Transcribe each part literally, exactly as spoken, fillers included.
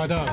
آداب،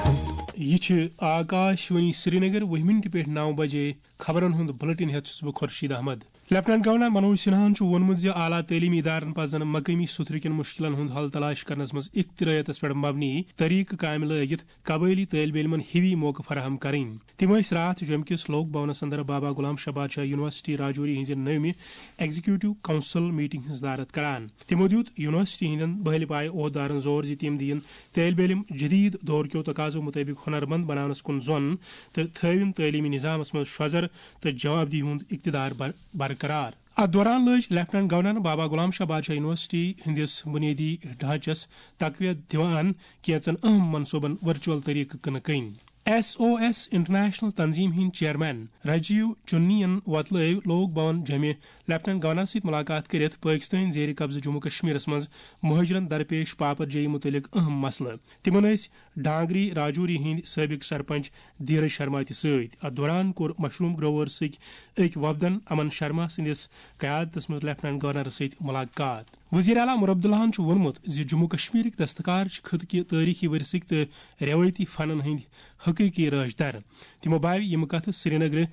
یہِ چھِ آکاش وانی سرینگر۔ وُہہِ منٹہِ پٮ۪ٹھ نَو بجے خبرن ہُنٛد بُلٹن ہٮ۪تھ چھُس بہٕ خورشید احمد۔ لیفٹیننٹ گورنر منوج سنہاہن چھُ ووٚنمُت زِ اعلیٰ تعلیمی ادارن پزن مقٲمی سُتھرٕ کٮ۪ن مُشکِلن ہُنٛد حل تلاش کرنس منٛز اختراعیتس پٮ۪ٹھ مبنی طریقہٕ کامہِ لٲگِتھ قبٲئلی طٲلبہِ علمن ہِوی موقعہٕ فراہم کرٕنۍ۔ تِم ٲسۍ راتھ جوٚمہِ کِس لوک بھونس اندر بابا غلام شاہ بادشاہ یونیورسٹی راجوری ہٕنٛزِ نٔومہِ ایگزیکیوٹو کونسل میٹنگ ہٕنٛز صدارت کران۔ تِمو دیُت یونیورسٹی ہٕنٛدٮ۪ن بٔہلہِ پایہِ عہدٕدارن زور زِ تِم دِیِن طٲلبہِ علم جدید دور کیو تقاضو مطٲبق ہنرمند بناونس کُن زۄن تہٕ تھٲوِن تعلیمی نظامس منٛز شۄزر تہٕ جوابدہی ہُنٛد اقتدار بر-، برقرار۔ اتھ دوران لٲج لیفٹیننٹ گورنرن بابا غلام شاہ بادشاہ یونیورسٹی ہٕنٛدِس بنیٲدی ڈھانچس تقویت دِوان کینژن اہم منصوبن ورچوئل طریقہٕ کٕنہٕ کٕنۍ۔ ایس او ایس انٹرنیشنل تنظیم ہٕنٛدۍ چیئرمین راجیو چننین وۄتلٲوۍ لوک بھون جوٚمہِ لیفٹیننٹ گورنر سۭتۍ ملاقات کٔرِتھ پٲکستٲنۍ زیر قبضہٕ جموں کشمیرس منٛز مہاجرن درپیش پاپر جٲیی متعلق اہم مسلہٕ۔ تِمن ٲسۍ ڈانگری راجوری ہٕنٛدۍ سٲبق سرپنچ دھیرج شرما تہِ سۭتۍ۔ اتھ دوران کوٚر مشروم گروورسٕکۍ أکۍ وفدن امن شرما سٕنٛدِس قیادتس منٛز لیفٹیننٹ گورنرس سۭتۍ ملاقات۔ وزیر اعلیٰ عمر عبداللہن چھُ ووٚنمُت زِ جموں کشمیرٕکۍ دستکار چھِ خطہٕ کہِ تٲریخی ورثٕکۍ تہٕ رٮ۪وٲیتی فنن ہٕنٛدۍ حقیقی رٲچھ در۔ تِمو باوِ یِم کتھٕ سرینگرٕ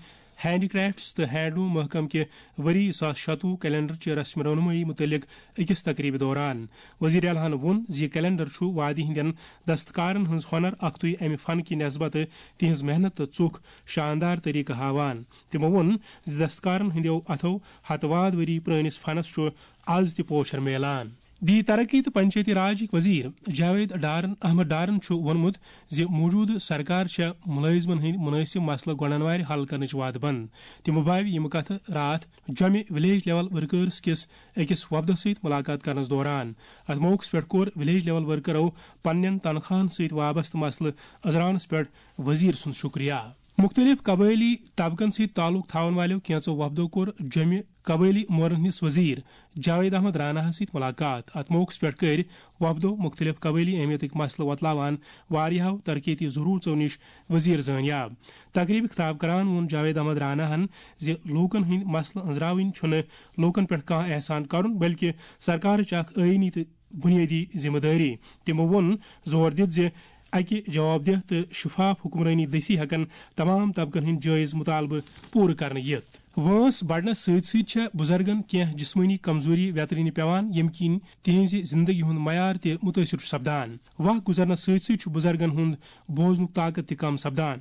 ہینڈی کرافٹس تہٕ ہینڈلوم محکمہٕ کہِ ؤری زٕ ساس شتوُہ کیلنڈر چہِ رسم رونمٲیی متعلق أکِس تقریبہِ دوران۔ وزیر اعلیٰ ہن ووٚن زِ یہِ کیلنڈر چھُ وادی ہٕنٛدٮ۪ن دستکارن ہٕنٛز ہۄنر اکھتُے امہِ فن کہِ نسبتہٕ تِہنٛز محنت تہٕ ژُکھ شاندار طریقہٕ ہاوان۔ تِمو ووٚن زِ دستکارن ہٕنٛدٮ۪و اتھو ہتہٕ واد ؤری پرٲنِس فنس چھُ از تہِ پوچھر میلان۔ دی ترقی تہٕ پنچایتی راجٕکۍ وزیر جاوید ڈارن، احمد ڈارن چھُ ووٚنمُت زِ موجودٕ سرکار چھےٚ مُلٲزمن ہٕنٛدۍ مُنٲسِب مسلہٕ گۄڈَن وارِ حل کرنٕچ وعدٕ بنٛد۔ تِمو باوِ یِم کتھٕ راتھ جوٚمہِ ولیج لیول ورکرز کِس أکِس وفدس سۭتۍ ملاقات کرنس دوران۔ اتھ موقعس پٮ۪ٹھ کوٚر ولیج لیول ورکرو پننٮ۪ن تنخواہن سۭتۍ وابستہٕ مسلہٕ أزراونس پٮ۪ٹھ وزیر سُنٛد شُکریہ۔ مُختٔلِف قبٲئلی طبقن سۭتۍ تعلق تھاون والٮ۪و کینٛژو وفدو کوٚر جوٚمہِ قبٲئلی امورن ہٕنٛدِس وزیر جاوید احمد راناہس سۭتۍ ملاقات۔ اتھ موقعس پٮ۪ٹھ کٔرۍ وفدو مُختٔلِف قبٲئلی اہمیتٕکۍ مسلہٕ وۄتلاوان واریاہو ترقیتی ضروٗرژو نِش وزیر زٲنیاب۔ تقریبہِ خطاب کران ووٚن جاوید احمد راناہن زِ لوٗکن ہٕنٛدۍ مسلہٕ أنٛزراوٕنۍ چھُنہٕ لوٗکن پٮ۪ٹھ کانٛہہ احسان کرُن، بلکہِ سرکارٕچ اکھ آئینی تہٕ بنیٲدی ذمہٕ دٲری۔ تِمو ووٚن زور دِتھ زِ اکہِ جوابدہ تہٕ شفاف حکمرٲنی دٔسی ہٮ۪کن تمام طبقن ہٕنٛدۍ جٲیز مطالبہٕ پوٗرٕ کرنہٕ یِتھ۔ وٲنٛس بڑنس سۭتۍ سۭتۍ چھےٚ بُزرگن کینٛہہ جسمٲنی کمزوری ویترِنہِ پٮ۪وان، ییٚمہِ کِنۍ تِہنٛزِ زندگی ہُنٛد معیار تہِ مُتٲثر چھُ سپدان۔ وق گُزرنس سۭتۍ سۭتۍ چھُ بُزرگن ہُنٛد بوزنُک طاقت تہِ کم سپدان۔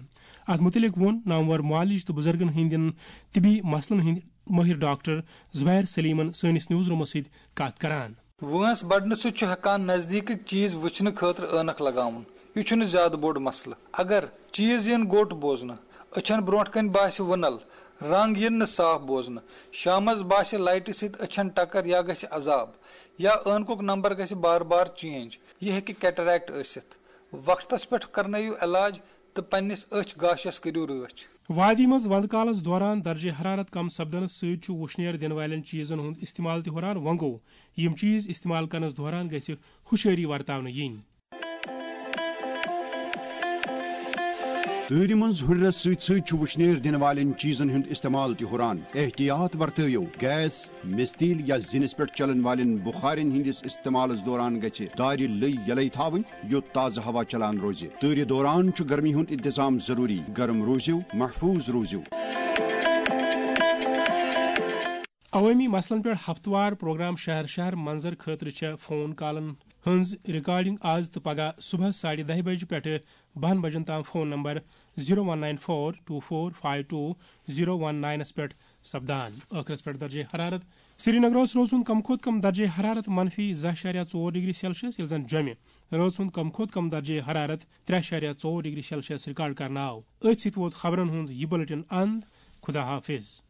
اتھ مُتعلق ووٚن نامور معالج تہٕ بُزرگن ہٕنٛدٮ۪ن طبی مسلن ہٕنٛدۍ مٲہِر ڈاکٹر زبیر سلیمن سٲنِس نیوز رومس سۭتۍ کتھ کران۔ وٲنٛس بڑنہٕ سۭتۍ چھُ ہٮ۪کان نزدیٖکٕکۍ چیٖز وٕچھنہٕ خٲطرٕ عٲنکھ لگاوُن۔ یہِ چھُنہٕ زیادٕ بوٚڑ مسلہٕ۔ اگر چیٖز یِن گوٚٹ بوزنہٕ، أچھن برٛونٛٹھ کنہِ باسہِ وُنل، رنگ یِن نہٕ صاف بوزنہٕ، شامس باسہِ لایٹہِ سۭتۍ أچھن ٹکر یا گژھِ عذاب، یا عٲنکُک نمبر گژھِ بار بار چینج، یہِ ہیٚکہِ کیٹریکٹ ٲسِتھ۔ وقتس پٮ۪ٹھ کرنٲیِو علاج تہٕ پننِس أچھ گاشس کٔرِو رٲچھ۔ وادی منٛز وندٕ کالس دوران درجہ حرارت کم سپدنس سۭتۍ چھُ وُشنیر دِنہٕ والٮ۪ن چیٖزن ہُنٛد استعمال تہِ ہُران۔ وۄنۍ گوٚو، یِم چیٖز استعمال کرنس دوران گژھِ ہُشٲری ورتاونہٕ یِنۍ۔ تۭرِ منٛز ہُرِرس سۭتۍ سۭتۍ چھُ وُشنیر دِنہٕ والٮ۪ن چیٖزن ہُنٛد استعمال تہِ ہُران۔ احتیاط ورتٲیِو۔ گیس، مِستیٖل یا زِنِس پٮ۪ٹھ چلن والٮ۪ن بُخارٮ۪ن ہٕنٛدِس استعمالس دوران گژھِ دارِ لٔے یلے تھاوٕنۍ، یوٚت تازٕ ہوا چلان روزِ۔ تۭرِ دوران چھُ گرمی ہُنٛد انتظام ضروٗری۔ گرم روٗزِو، محفوٗظ روٗزِو۔ عوٲمی مسلن پٮ۪ٹھ ہفتہٕ وار پروگرام شہر شہر منظر خٲطرٕ چھےٚ فون کالن ہٕنٛز ریکارڈنگ آز تہٕ پگاہ صبحس ساڑِ دَہہِ بجہِ پٮ۪ٹھٕ بَہَن بجن تام phone number zero one nine four two four five two zero one ناینس پٮ۪ٹھ سپدان۔ ٲخرس پٮ۪ٹھ درجہ حرارت۔ سرینگرس روزُن کم کھۄتہٕ کم درجہ حرارت منفی زٕ اَشاریہ ژور ڈگری سیلسیس، ییٚلہِ زن جوٚمہِ رٲژ ہُنٛد کم کھۄتہٕ کم درجہ حرارت ترٛےٚ اَشاریہ ژور ڈگری سیلسیس ریکارڈ کرنہٕ آو۔ أتھۍ سۭتۍ ووت خبرن ہُنٛد یہِ بُلٹن اند۔ خدا حافظ۔